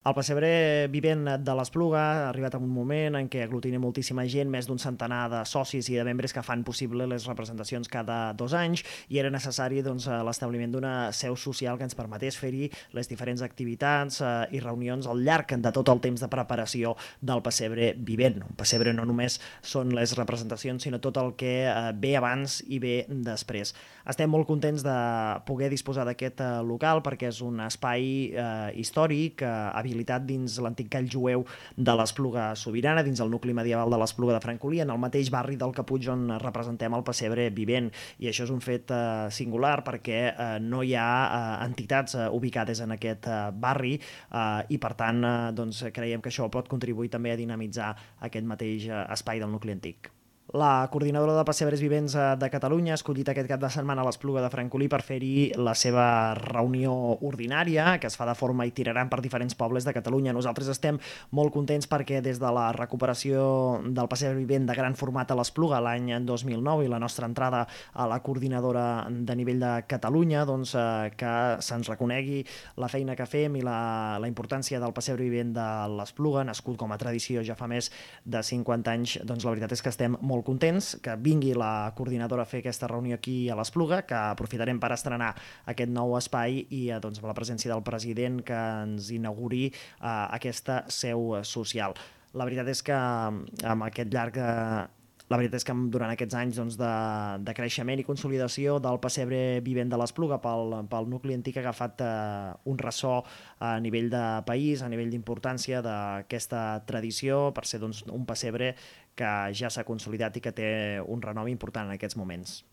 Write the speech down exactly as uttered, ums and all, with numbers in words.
El pessebre vivent de l'Espluga ha arribat a un moment en què aglutina moltíssima gent, més d'un centenar de socis i de membres que fan possible les representacions cada dos anys, i era necessari doncs, l'establiment d'una seu social que ens permetés fer-hi les diferents activitats eh, i reunions al llarg de tot el temps de preparació del pessebre vivent. Un pessebre no només són les representacions, sinó tot el que eh, ve abans i ve després. Estem molt contents de poder disposar d'aquest eh, local perquè és un espai eh, històric, eh, habilitat dins l'antic call jueu de l'Espluga Sobirana, dins el nucli medieval de l'Espluga de Francolí, en el mateix barri del Caputx on representem el pessebre vivent. I això és un fet eh, singular perquè eh, no hi ha eh, entitats eh, ubicades en aquest eh, barri eh, i per tant eh, doncs, creiem que això pot contribuir també a dinamitzar aquest mateix eh, espai del nucli antic. La coordinadora de pessebres vivents de Catalunya ha escollit aquest cap de setmana a l'Espluga de Francolí per fer-hi la seva reunió ordinària, que es fa de forma itinerant per diferents pobles de Catalunya. Nosaltres estem molt contents perquè des de la recuperació del pessebre vivent de gran format a l'Espluga l'any dos mil nou i la nostra entrada a la coordinadora de nivell de Catalunya, doncs, eh, que se'ns reconegui la feina que fem i la, la importància del pessebre vivent de l'Espluga, nascut com a tradició ja fa més de cinquanta anys, doncs la veritat és que estem molt contents que vingui la coordinadora a fer aquesta reunió aquí a l'Espluga, que aprofitarem per estrenar aquest nou espai i doncs, amb la presència del president que ens inauguri eh, aquesta seu social. La veritat és que amb aquest llarg eh, La veritat és que durant aquests anys doncs, de, de creixement i consolidació del pessebre vivent de l'Espluga pel, pel nucli antic ha agafat eh, un ressò a nivell de país, a nivell d'importància d'aquesta tradició per ser doncs, un pessebre que ja s'ha consolidat i que té un renom important en aquests moments.